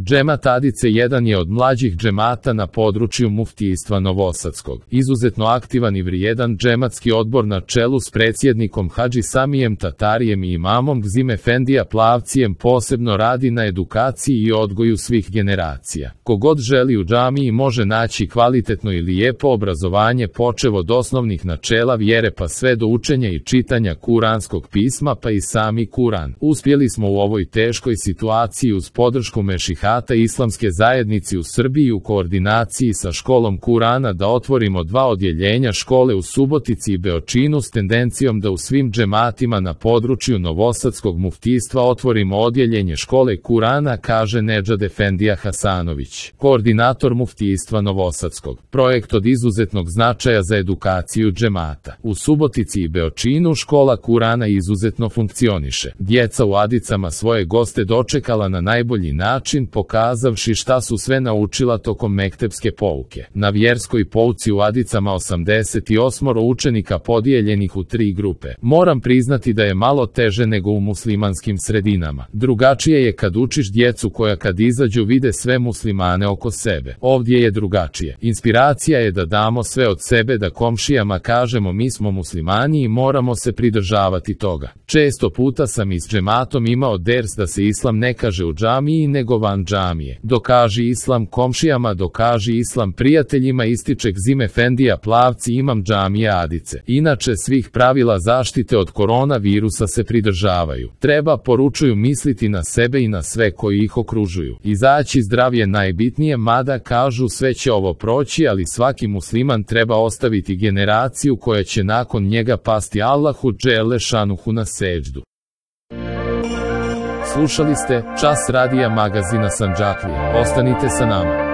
Džemat Adice jedan je od mlađih džemata na području muftijstva Novosadskog. Izuzetno aktivan i vrijedan džematski odbor na čelu s predsjednikom Hadži Samijem Tatarijem i imamom Gzim Efendija Plavcijem posebno radi na edukaciji i odgoju svih generacija. Kogod želi u džamiji može naći kvalitetno i lijepo obrazovanje počev od osnovnih načela vjere pa sve do učenja i čitanja kuranskog pisma pa i sami Kuran. Uspjeli smo u ovoj teškoj situaciji uz podršku mešihata Islamske zajednice u Srbiji u koordinaciji sa školom Kurana da otvorimo 2 odjeljenja škole u Subotici i Beočinu s tendencijom da u svim džematima na području Novosadskog muftijstva otvorimo odjeljenje škole Kurana, kaže Nedžad Efendija Hasanović, koordinator muftijstva Novosadskog. Projekt od izuzetnog značaja za edukaciju džemata. U Subotici i Beočinu škola Kurana izuzetno funkcioniše. Djeca u Adicama svoje goste dočekala na najbolji način, pokazavši šta su sve naučila tokom mektepske pouke. Na vjerskoj pouci u Adicama 88 učenika podijeljenih u 3 grupe. Moram priznati da je malo teže nego u muslimanskim sredinama. Drugačije je kad učiš djecu koja kad izađu vide sve muslimane oko sebe. Ovdje je drugačije. Inspiracija je da damo sve od sebe, da komšijama kažemo mi smo muslimani i moramo se pridržavati toga. Često puta sam i s džematom imao ders da se islam ne kaže u džamiji nego van džamije. Dokaži islam komšijama, dokaži islam prijateljima, ističe Gzim Efendija Plavci, imam džamije Adice. Inače svih pravila zaštite od koronavirusa se pridržavaju. Treba, poručuju, misliti na sebe i na sve koji ih okružuju. Izaći zdrav je najbitnije, mada kažu sve će ovo proći, ali svaki musliman treba ostaviti generaciju koja će nakon njega pasti Allahu dželle šanuhu na seđdu. Slušali ste Čas radija magazina Sandžaklija. Ostanite sa nama.